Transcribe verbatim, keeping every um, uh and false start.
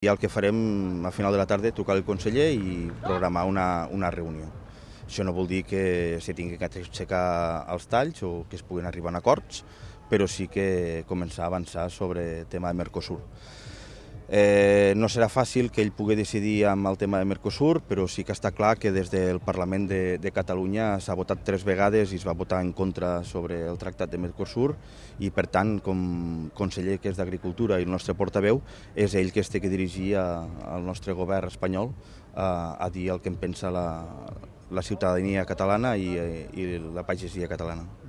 I el que farem a final de la tarda trucar al conseller i programar una, una reunió. Això no vol dir que se tingui que aixecar els talls o que es puguin arribar a acords, però sí que començar a avançar sobre el tema de Mercosur. Eh, no serà fàcil que ell pugui decidir amb el tema de Mercosur, però sí que està clar que des del Parlament de, de Catalunya s'ha votat tres vegades i es va votar en contra sobre el tractat de Mercosur i, per tant, com conseller que és d'Agricultura i el nostre portaveu, és ell que es té que dirigir a, al nostre govern espanyol a, a dir el que en pensa la, la ciutadania catalana i, i la pagesia catalana.